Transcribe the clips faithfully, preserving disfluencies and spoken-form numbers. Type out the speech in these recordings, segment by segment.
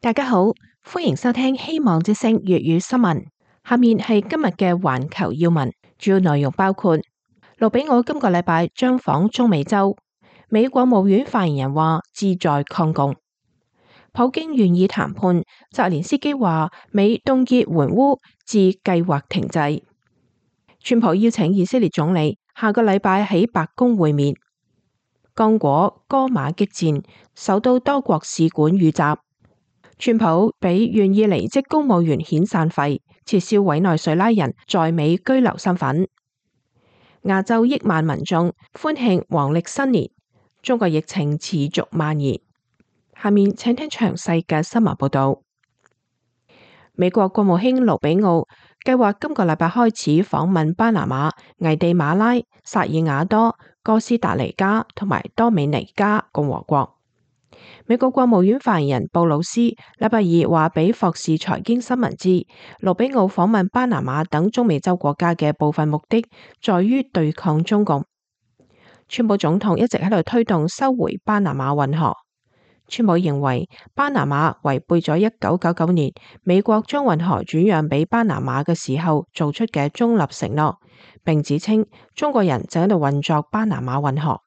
大家好，歡迎收聽希望之聲粵語新聞。下面係今日嘅環球要聞，主要內容包括：盧比奧今個禮拜將訪中美洲，美國務院發言人話志在抗共；普京願意談判，澤連斯基話美凍結援烏至計劃停滯；川普邀請以色列總理下個禮拜喺白宮會面；剛果戈馬激戰，首都多國使館遇襲。川普俾願意離職公務員遣散費，撤銷委內瑞拉人在美居留身份。亞洲億萬民眾歡慶黃曆新年，中國疫情持續蔓延。下面請聽詳細嘅新聞報道。美國國務卿盧比奧計劃今個禮拜開始訪問巴拿馬、危地馬拉、薩爾瓦多、哥斯達黎加同埋多美尼加共和國。美國國務院發言人布魯斯禮拜二話俾霍士財經新聞知，盧比奧訪問巴拿馬等中美洲國家嘅部分目的在於對抗中共。川普總統一直喺度推動收回巴拿馬運河。川普認為巴拿馬違背咗一九九九年美國將運河轉讓俾巴拿馬嘅時候做出嘅中立承諾，並指稱中國人正喺度運作巴拿馬運河。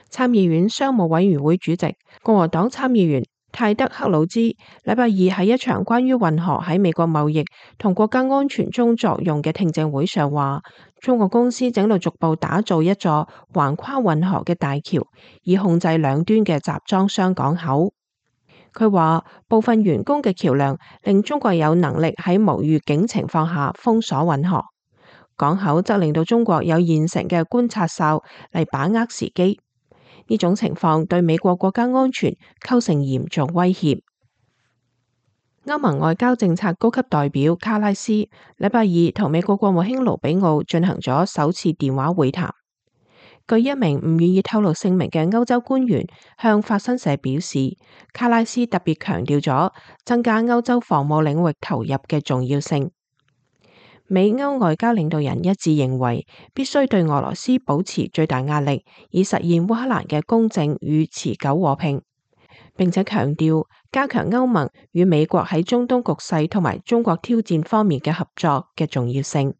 參議院商務委員會主席共和黨參議員泰德克魯茲禮拜二喺一場關於運河喺美國貿易同國家安全中作用嘅聽證會上話，中國公司正喺度逐步打造一座橫跨運河嘅大橋，以控制兩端嘅集裝箱港口。佢話部分員工嘅橋樑令中國有能力喺無預警情況下封鎖運河，港口則令到中國有現成嘅觀察哨嚟把握時機。呢種情況對美國國家安全構成嚴重威脅。歐盟外交政策高級代表卡拉斯禮拜二同美國國務卿盧比奧進行咗首次電話會談。據一名唔願意透露姓名嘅歐洲官員向法新社表示，卡拉斯特別強調咗增加歐洲防務領域投入嘅重要性。美歐外交領導人一致認為，必須對俄羅斯保持最大壓力，以實現烏克蘭嘅公正與持久和平，並且強調加強歐盟與美國喺中東局勢同埋中國挑戰方面嘅合作嘅重要性。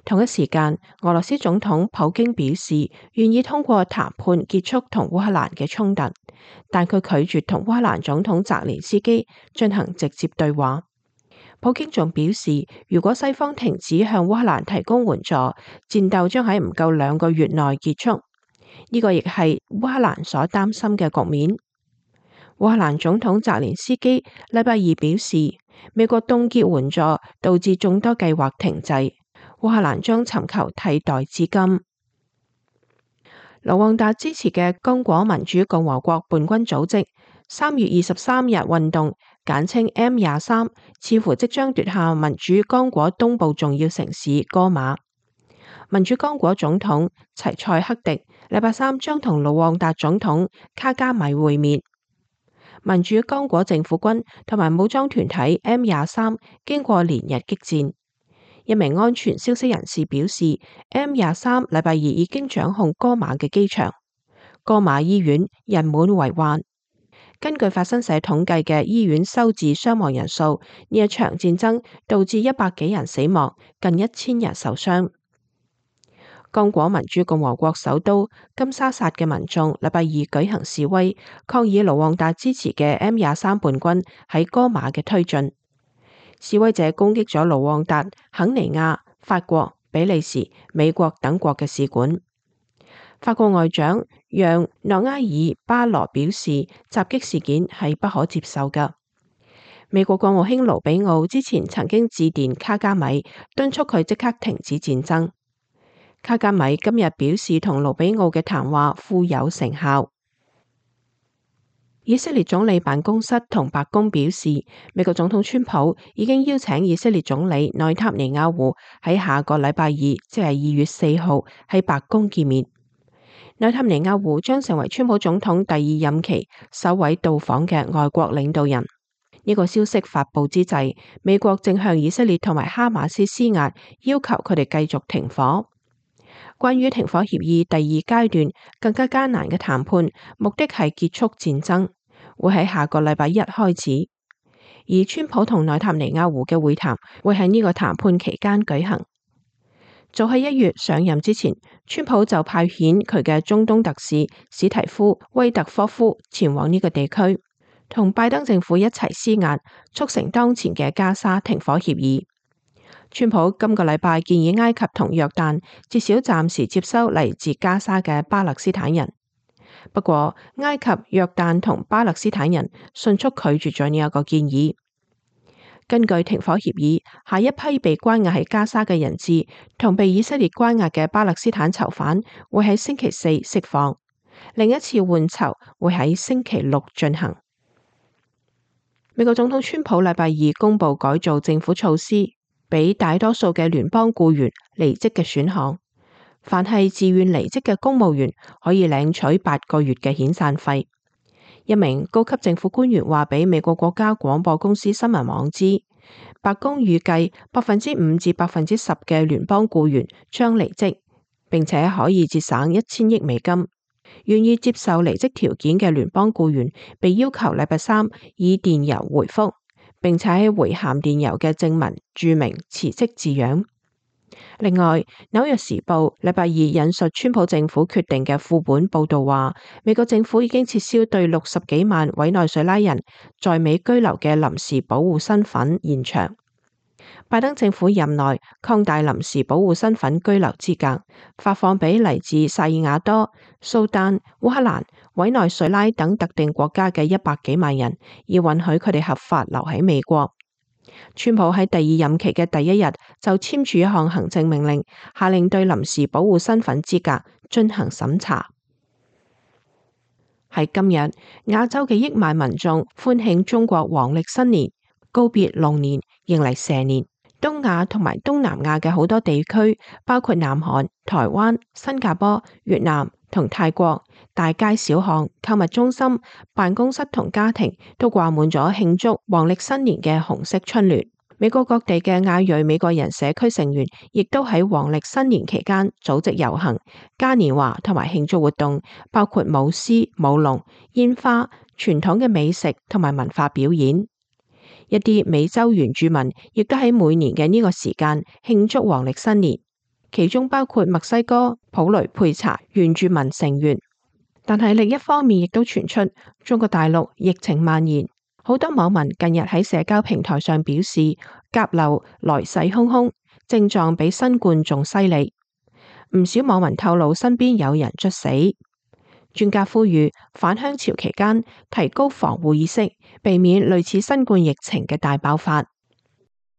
同一時間，俄羅斯總統普京表示願意通過談判結束同烏克蘭嘅衝突，但佢拒絕同烏克蘭總統澤連斯基進行直接對話。普京仲表示，如果西方停止向烏克蘭提供援助，戰鬥將喺唔夠兩個月內結束。呢個亦係烏克蘭所擔心嘅局面。烏克蘭總統澤連斯基禮拜二表示，美國凍結援助導致眾多計劃停滯，烏克蘭將尋求替代資金。盧旺達支持嘅剛果民主共和國叛軍組織三月二十三日運動，簡稱 M 廿三，似乎即將奪下民主剛果東部重要城市戈馬。民主剛果總統齊塞克迪禮拜三將同盧旺達總統卡加米會面。民主剛果政府軍同埋武裝團體 M 廿三經過連日激戰。一名安全消息人士表示 ，M 廿三禮拜二已經掌控戈馬嘅機場，戈馬醫院人滿為患。根據法新社統計嘅醫院收治傷亡人數，呢一場戰爭導致一百幾人死亡，近一千人受傷。剛果民主共和國首都金沙薩嘅民眾禮拜二舉行示威，抗議盧旺達支持嘅 M 廿三叛軍喺戈馬嘅推進。示威者攻擊咗盧旺達、肯尼亞、法國、比利時、美國等國嘅使館。法國外長讓諾埃爾巴羅表示，襲擊事件係不可接受㗎。美國國務卿盧比奧之前曾經致電卡加米，敦促佢即刻停止戰爭。卡加米今日表示，同盧比奧嘅談話富有成效。以色列總理辦公室同白宮表示，美國總統川普已經邀請以色列總理內塔尼亞胡喺下個禮拜二，即係二月四號喺白宮見面。內塔尼亞胡將成為川普總統第二任期首位到訪嘅外國領導人。呢個消息發佈之際，美國正向以色列同埋哈馬斯施壓，要求佢哋繼續停火。關於停火協議第二階段更加艱難嘅談判，目的係結束戰爭，會喺下個禮拜一開始，而川普同內塔尼亞胡嘅會談會喺呢個談判期間舉行。早喺一月上任之前，川普就派遣佢嘅中東特使史提夫威特科夫前往呢個地區，同拜登政府一齊施壓，促成當前嘅加沙停火協議。川普今個禮拜建議埃及同約旦至少暫時接收嚟自加沙嘅巴勒斯坦人，不過埃及、約旦同巴勒斯坦人迅速拒絕咗呢一個建議。根據停火協議，下一批被關押喺加沙嘅人質同被以色列關押嘅巴勒斯坦囚犯會喺星期四釋放，另一次換囚會喺星期六進行。美國總統川普禮拜二公布改造政府措施，俾大多數嘅聯邦僱員離職嘅選項，凡係自願離職嘅公務員可以領取八個月嘅遣散費。一名高級政府官員話俾美國國家廣播公司新聞網知，白宮預計百分之五至百分之十嘅聯邦僱員將離職，並且可以節省一千億美金。願意接受離職條件嘅聯邦僱員被要求禮拜三以電郵回覆，並且喺回函電郵嘅正文註明辭職字樣。另外，紐約時報禮拜二引述川普政府決定嘅副本報道話，美國政府已經撤銷對六十幾萬委內瑞拉人在美居留嘅臨時保護身份延長。拜登政府任內擴大臨時保護身份居留資格，發放俾嚟自薩爾瓦多、蘇丹、烏克蘭、委內瑞拉等特定國家嘅一百幾萬人，以允許佢哋合法留喺美國。川普喺第二任期嘅第一日就簽署一項行政命令，下令對臨時保護身份資格進行審查。喺今日，亞洲嘅億萬民眾歡慶中國黃曆新年，告別龍年，迎嚟蛇年。東亞同埋東南亞嘅好多地區，包括南韓、台灣、新加坡、越南同泰國，大街小巷、購物中心、辦公室同家庭都掛滿咗慶祝黃曆新年嘅紅色春聯。美國各地嘅亞裔美國人社區成員亦都喺黃曆新年期間組織遊行、嘉年華同埋慶祝活動，包括舞獅、舞龍、煙花、傳統嘅美食同埋文化表演。一啲美洲原住民亦都喺每年嘅呢個時間慶祝黃曆新年，其中包括墨西哥普雷佩查原住民成員。但係另一方面亦都傳出中國大陸疫情蔓延，好多網民近日喺社交平台上表示甲流來勢洶洶，症狀比新冠仲犀利。唔少網民透露身邊有人猝死。專家呼籲返鄉潮期間提高防護意識，避免類似新冠疫情嘅大爆發。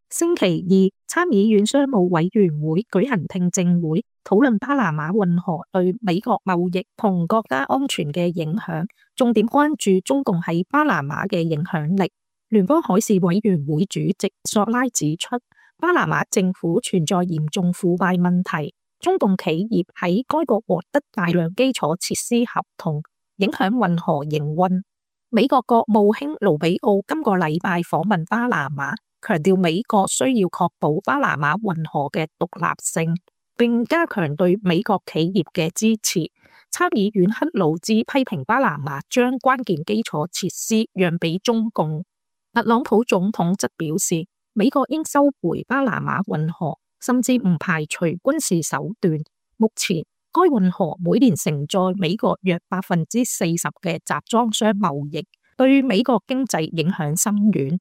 星期二，參議院商務委員會舉行聽證會，討論巴拿馬運河對美國貿易同國家安全嘅影響，重點關注中共喺巴拿馬嘅影響力。聯邦海事委員會主席索拉指出，巴拿馬政府存在嚴重腐敗問題。中共企業喺該國獲得大量基礎設施合同，影響運河營運。美國國務卿盧比奧今個禮拜訪問巴拿馬，強調美國需要確保巴拿馬運河嘅獨立性，並加強對美國企業嘅支持。參議院克魯茲批評巴拿馬將關鍵基礎設施讓俾中共。特朗普總統則表示，美國應收回巴拿馬運河，甚至唔排除軍事手段。目前，該運河每年承載美國約百分之四十嘅集裝箱貿易，對美國經濟影響深遠。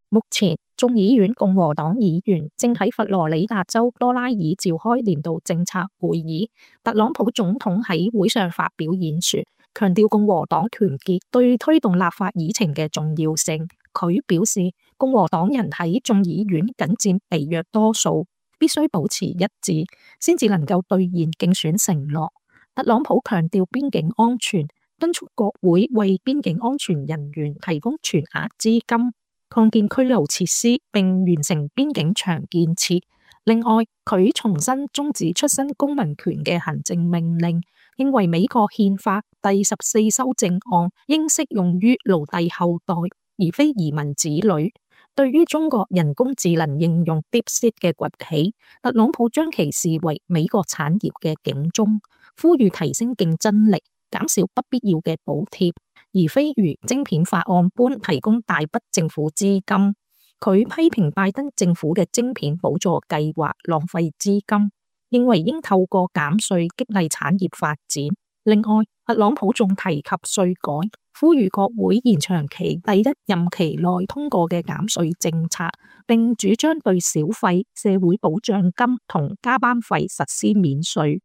目前，眾議院共和黨議員正喺佛羅里達州多拉爾召開年度政策會議。特朗普總統喺會上發表演說，強調共和黨團結對推動立法議程嘅重要性。佢表示，共和黨人喺眾議院僅佔微弱多數，必須保持一致，先至能夠兌現競選承諾。特朗普強調邊境安全，敦促國會為邊境安全人員提供全額資金，擴建拘留設施，並完成邊境牆建設。另外，佢重新終止出生公民權嘅行政命令，認為美國憲法第十四修正案應適用於奴隸後代，而非移民子女。對於中國人工智能應用 DeepSeek 嘅崛起，特朗普將其視為美國產業嘅警鐘，呼籲提升競爭力，減少不必要嘅補貼，而非如晶片法案般提供大筆政府資金。佢批評拜登政府嘅晶片補助計劃浪費資金，認為應透過減稅激勵產業發展。另外，特朗普仲提及稅改，呼籲國會延長其第一任期內通過嘅減稅政策，並主張對小費、社會保障金同加班費實施免稅。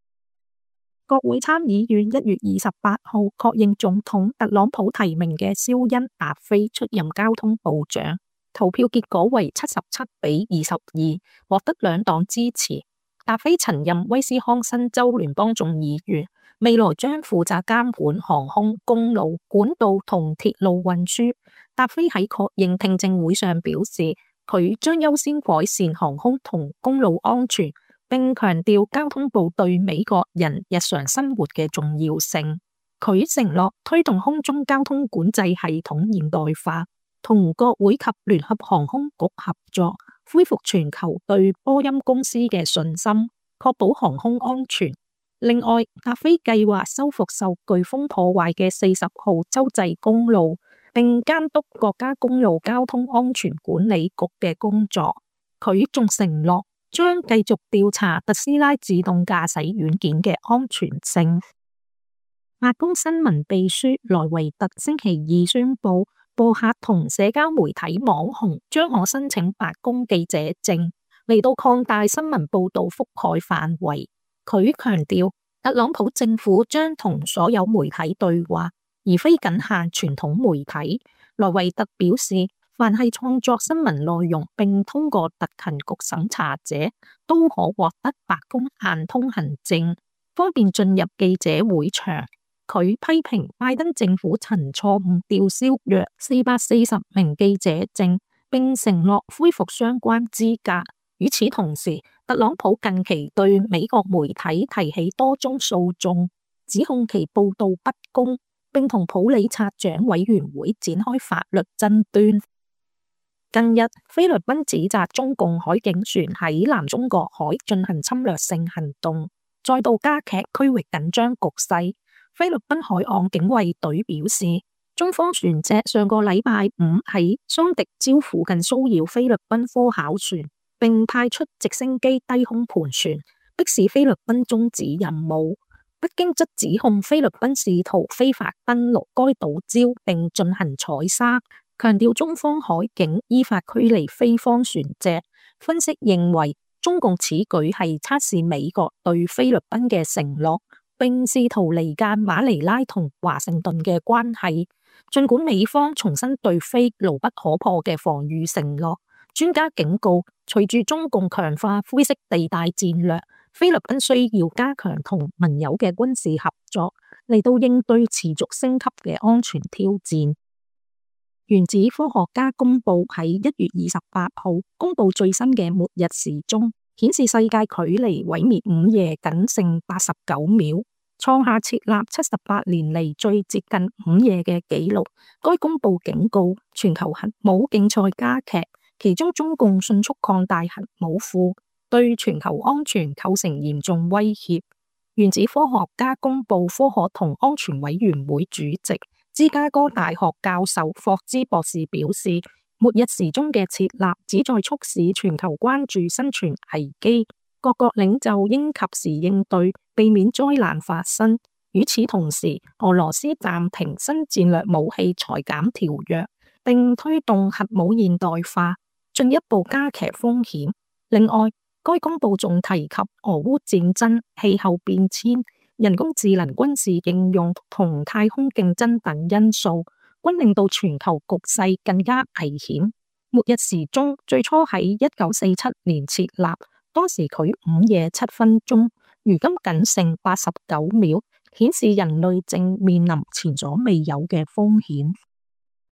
國會參議院一月二十八號確認總統特朗普提名嘅肖恩·達菲出任交通部長，投票結果為七十七比二十二，獲得兩黨支持。達菲曾任威斯康辛州聯邦眾議員，未來將負責監管航空、公路、管道同鐵路運輸。達菲喺確認聽證會上表示，佢將優先改善航空同公路安全，並強調交通部對美國人日常生活嘅重要性。佢承諾推動空中交通管制系統現代化，同國會及聯合航空局合作，恢復全球對波音公司嘅信心，確保航空安全。另外，達菲計劃修復受颶風破壞嘅四十號州際公路，並監督國家公路交通安全管理局嘅工作。佢仲承諾將繼續調查特斯拉自動駕駛軟件嘅安全性。白宮新聞秘書萊維特星期二宣布，播客同社交媒體網紅將可申請白宮記者證，嚟到擴大新聞報道覆蓋範圍。佢強調，特朗普政府將同所有媒體對話，而非僅限傳統媒體。萊維特表示，凡係創作新聞內容並通過特勤局審查者，都可獲得白宮限通行證，方便進入記者會場。佢批評拜登政府曾錯誤吊銷約四百四十名記者證，並承諾恢復相關資格。與此同時，特朗普近期對美國媒體提起多宗訴訟，指控其報道不公，並同普里策獎委員會展開法律爭端。近日，菲律賓指責中共海警船喺南中國海進行侵略性行動，再度加劇區域緊張局勢。菲律賓海岸警衛隊表示，中方船隻上個禮拜五喺桑迪礁附近騷擾菲律賓科考船，並派出直升機低空盤旋，迫使菲律賓終止任務。北京則指控菲律賓試圖非法登陸該島礁並進行採砂，強調中方海警依法驅離菲方船隻。分析認為，中共此舉係測試美國對菲律賓嘅承諾，並試圖離間馬尼拉同華盛頓嘅關係。儘管美方重申對菲牢不可破嘅防禦承諾，專家警告，隨住中共強化灰色地帶戰略，菲律賓需要加強同盟友嘅軍事合作，嚟到應對持續升級嘅安全挑戰。原子科學家公佈喺一月二十八號公佈最新嘅末日時鐘，顯示世界距離毀滅午夜僅剩八十九秒，創下設立七十八年嚟最接近午夜嘅紀錄。該公佈警告，全球核武競賽加劇，其中中共迅速擴大核武庫，對全球安全構成嚴重威脅。原子科學家公佈科學同安全委員會主席、芝加哥大學教授霍茲博士表示，末日時鐘嘅設立旨在促使全球關注生存危機，各國領袖應及時應對，避免災難發生。與此同時，俄羅斯暫停新戰略武器裁減條約，並推動核武現代化，進一步加劇風險。另外，該公報仲提及俄烏戰爭、氣候變遷、人工智能軍事應用同太空競爭等因素，均令到全球局勢更加危險。末日時鐘最初喺一九四七年設立，當時距午夜七分鐘，如今僅剩八十九秒，顯示人類正面臨前所未有嘅風險。